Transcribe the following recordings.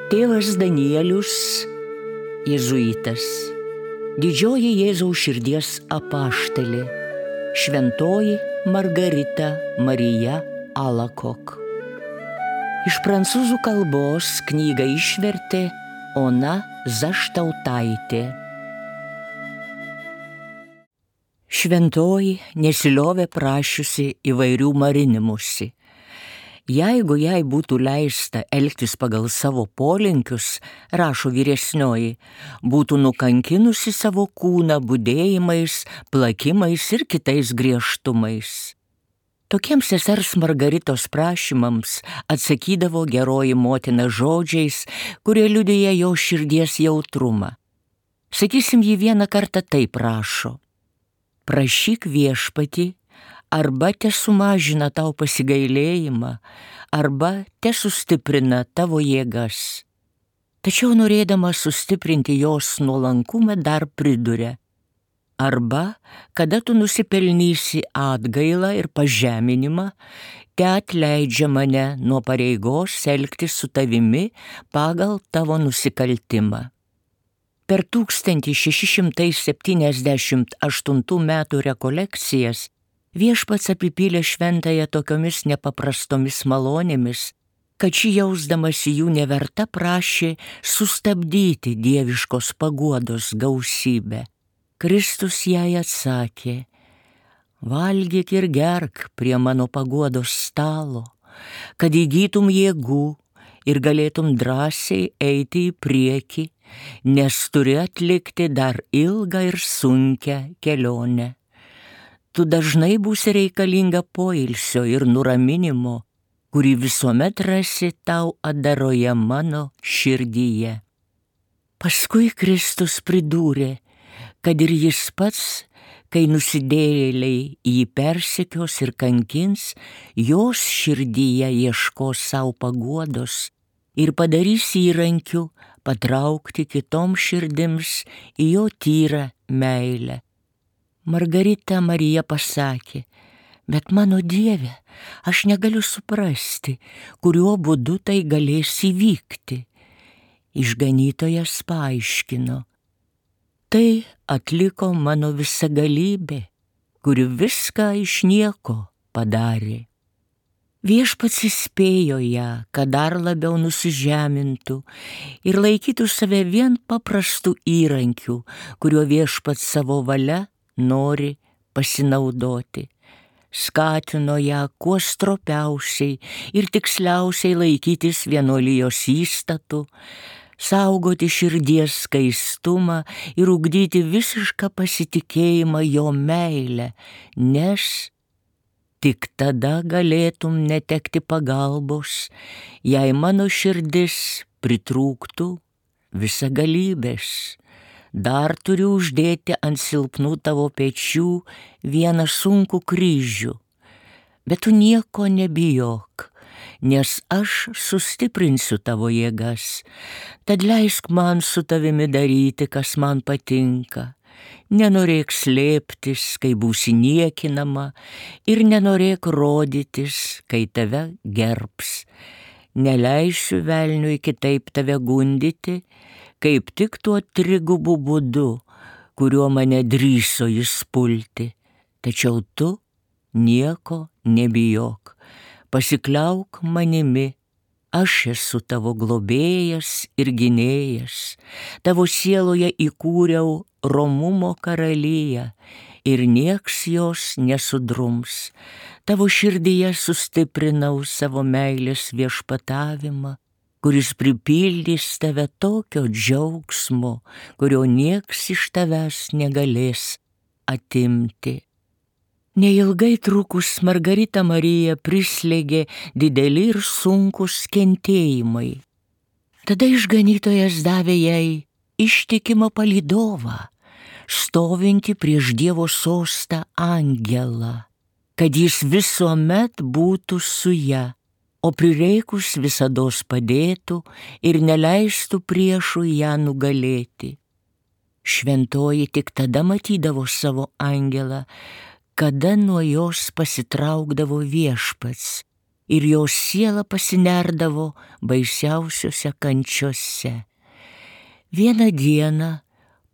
Tėvas Danielius, jėzuitas, didžioji Jėzaus širdies apaštalė, šventoji Margarita Marija Alacoque. Iš prancūzų kalbos knygą išvertė Ona Zaštautaitė. Šventoji nesiliovė prašiusi įvairių marinimusi. Jeigu jai būtų leista elgtis pagal savo polinkius, rašo vyresnioji, būtų nukankinusi savo kūną budėjimais, plakimais ir kitais griežtumais. Tokiems sesers Margaritos prašymams atsakydavo geroji motina žodžiais, kurie liudija jo širdies jautrumą. Sakysim, ji vieną kartą taip rašo: prašyk viešpatį, arba tesumažina tau pasigailėjimą, arba tesustiprina tavo jėgas. Tačiau norėdama sustiprinti jos nuolankumą dar priduria: arba, kada tu nusipelnysi atgailą ir pažeminimą, te atleidžia mane nuo pareigos elgtis su tavimi pagal tavo nusikaltimą. Per 1678 metų rekolekcijas viešpats apipylė šventąją tokiomis nepaprastomis malonėmis, kad ši jausdamasi jų neverta prašė sustabdyti dieviškos paguodos gausybę. Kristus jai atsakė: valgyk ir gerk prie mano paguodos stalo, kad įgytum jėgų ir galėtum drąsiai eiti į priekį, nes turi atlikti dar ilgą ir sunkią kelionę. Tu dažnai būsi reikalinga poilsio ir nuraminimo, kurį visuomet rasi tau atdaroje mano širdyje. Paskui Kristus pridūrė, kad ir jis pats, kai nusidėjėliai jį persekios ir kankins, jos širdyje ieškos savo paguodos ir padarys įrankiu patraukti kitoms širdims į jo tyrą meilę. Margarita Marija pasakė: bet mano Dieve, aš negaliu suprasti, kuriuo būdu tai galės įvykti. Išganytojas paaiškino: tai atliko mano visagalybė, kuri viską iš nieko padarė. Viešpats įspėjo ją, kad dar labiau nusižemintų ir laikytų save vien paprastų įrankių, kuriuo viešpats savo valia nori pasinaudoti. Skatino ją kuo stropiausiai ir tiksliausiai laikytis vienuolijos įstatų, saugoti širdies skaistumą ir ugdyti visišką pasitikėjimą jo meilę, nes tik tada galėtum netekti pagalbos, jei mano širdis pritrūktų visagalybės. Dar turiu uždėti ant silpnų tavo pečių vieną sunkų kryžių. Bet tu nieko nebijok, nes aš sustiprinsiu tavo jėgas. Tad leisk man su tavimi daryti, kas man patinka. Nenorėk slėptis, kai būsi niekinama, ir nenorėk rodytis, kai tave gerbs. Neleisiu velniui kitaip tave gundyti, kaip tik tuo trigubu būdu, kuriuo mane drįso jis pulti. Tačiau tu nieko nebijok, pasikliauk manimi, aš esu tavo globėjas ir gynėjas, tavo sieloje įkūriau romumo karaliją ir nieks jos nesudrums, tavo širdyje sustiprinau savo meilės viešpatavimą, kuris pripildys tave tokio džiaugsmo, kurio nieks iš tavęs negalės atimti. Neilgai trukus Margarita Marija prislėgė dideli ir sunkus kentėjimai. Tada išganytojas davė jai ištikimą palydovą, stovintį prieš Dievo sostą angelą, kad jis visuomet būtų su ja, o prireikus visados padėtų ir neleistų priešų ją nugalėti. Šventoji tik tada matydavo savo angelą, kada nuo jos pasitraukdavo viešpats, ir jos siela pasinerdavo baisiausiose kančiose. Vieną dieną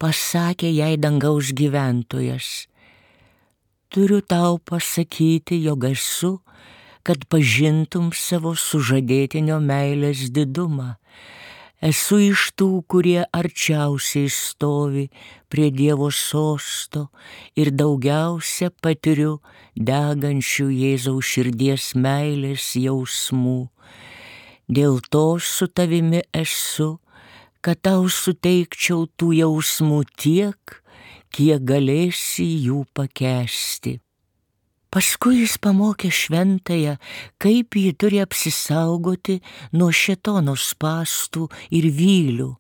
pasakė jai dangaus gyventojas: turiu tau pasakyti, jog esu, kad pažintum savo sužadėtinio meilės didumą. Esu iš tų, kurie arčiausiai stovi prie Dievo sosto ir daugiausia patiriu degančių Jėzaus širdies meilės jausmų. Dėl to su tavimi esu, kad tau suteikčiau tų jausmų tiek, kiek galėsi jų pakęsti. Paskui jis pamokė šventąją, kaip ji turi apsisaugoti nuo šėtono spąstų ir vylių,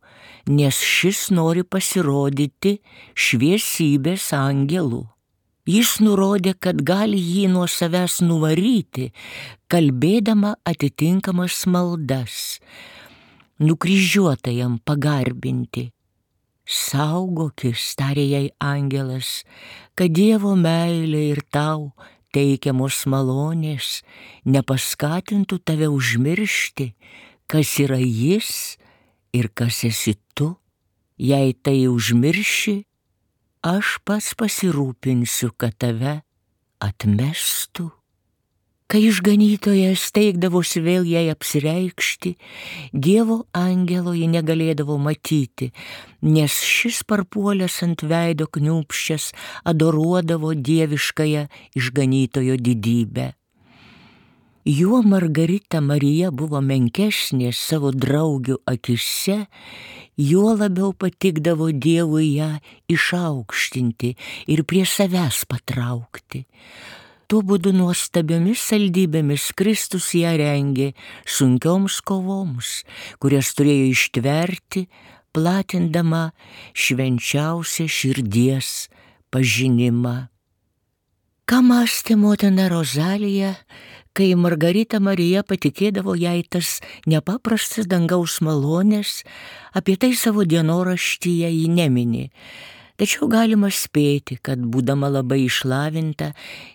nes šis nori pasirodyti šviesybės angelu. Jis nurodė, kad gali jį nuo savęs nuvaryti, kalbėdama atitinkamas maldas, nukryžiuotajam pagarbinti. Saugokis, tarė jai angelas, kad Dievo meilė ir tau teikiamos malonės nepaskatintų tave užmiršti, kas yra jis ir kas esi tu. Jei tai užmirši, aš pats pasirūpinsiu, kad tave atmestų. Kai išganytojas teikdavosi vėl jai apsireikšti, Dievo angelo ji negalėdavo matyti, nes šis parpuolęs ant veido kniūpsčias adoruodavo dieviškąją išganytojo didybę. Juo Margarita Marija buvo menkesnė savo draugių akise, juo labiau patikdavo Dievui ją išaukštinti ir prie savęs patraukti. Tuo būdu nuostabiomis saldybėmis Kristus ją rengė sunkioms kovoms, kurias turėjo ištverti, platindama švenčiausią širdies pažinimą. Ką mąstė motina Rozalija, kai Margarita Marija patikėdavo jai tas nepaprastas dangaus malonės, apie tai savo dienoraštyje ji nemini. Tačiau galima spėti, kad būdama labai išlavinta,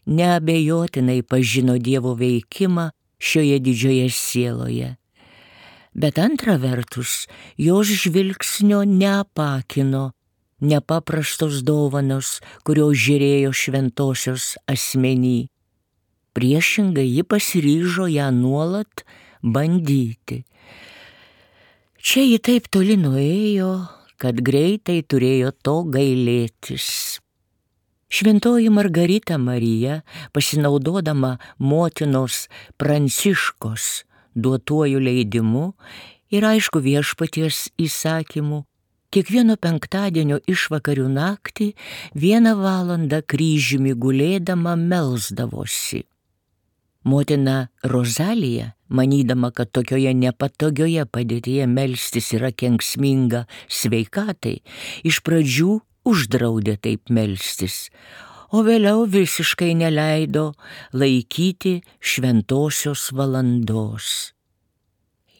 neabejotinai pažino Dievo veikimą šioje didžioje sieloje. Bet antra vertus, jos žvilgsnio neapakino nepaprastos dovanos, kurios žėrėjo šventosios asmeny. Priešingai ji pasiryžo ją nuolat bandyti. Čia ji taip toli nuėjo, kad greitai turėjo to gailėtis. Šventoji Margarita Marija, pasinaudodama motinos Pranciškos duotuoju leidimu ir aišku viešpaties įsakymu, kiekvieno penktadienio išvakarių naktį 1 valandą kryžiumi gulėdama melsdavosi. Motina Rozalija, manydama, kad tokioje nepatogioje padėtyje melstis yra kenksminga sveikatai, iš pradžių uždraudė taip melstis, o vėliau visiškai neleido laikyti šventosios valandos.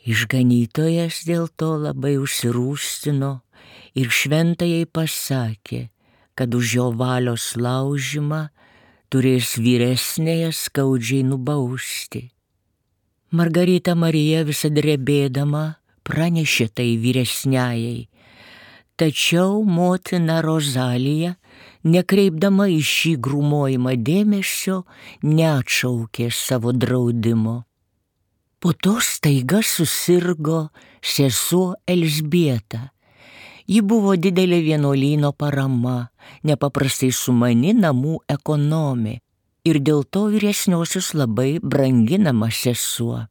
Išganytojas dėl to labai užsirūstino ir šventajai pasakė, kad už jo valios laužimą turės vyresnėje skaudžiai nubausti. Margarita Marija visą drebėdama pranešė tai vyresniajai, tačiau motina Rozalija, nekreipdama į šį grūmojimą dėmesio, neatšaukė savo draudimo. Po to staiga susirgo sesuo Elžbieta. Ji buvo didelė vienuolyno parama, nepaprastai sumani namų ekonomė ir dėl to vyresniosios labai branginama sesuo.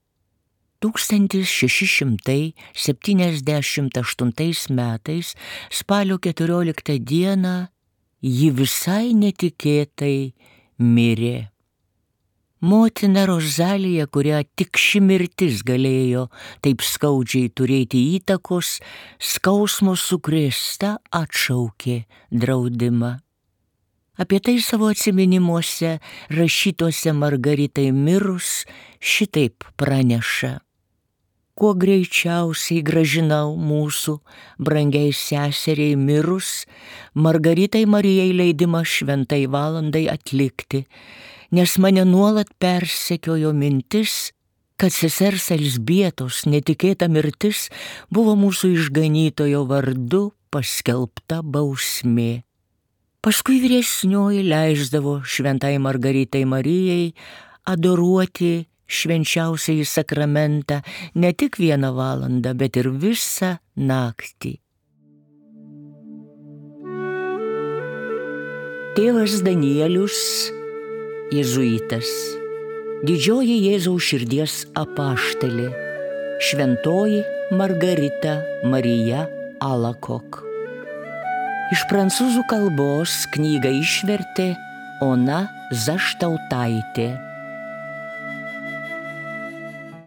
1678 metais spalio 14 dieną ji visai netikėtai mirė. Motina Rozalija, kurią tik ši mirtis galėjo taip skaudžiai turėti įtakos, skausmo sukrėsta atšaukė draudimą. Apie tai savo atsiminimuose rašytuose Margaritai mirus šitaip praneša: kuo greičiausiai gražinau mūsų brangiai seseriai mirus Margaritai Marijai leidimą šventai valandai atlikti, nes mane nuolat persekiojo mintis, kad sesers Elzbietos netikėta mirtis buvo mūsų išganytojo vardu paskelbta bausmė. Paskui vyresnioji leisdavo šventai Margaritai Marijai adoruoti švenčiausiąjį sakramentą ne tik 1 valandą, bet ir visą naktį. Tėvas Danielius, jėzuitas, didžioji Jėzaus širdies apaštalė, šventoji Margarita Marija Alakok. Iš prancūzų kalbos knygą išvertė Ona Zaštautaitė.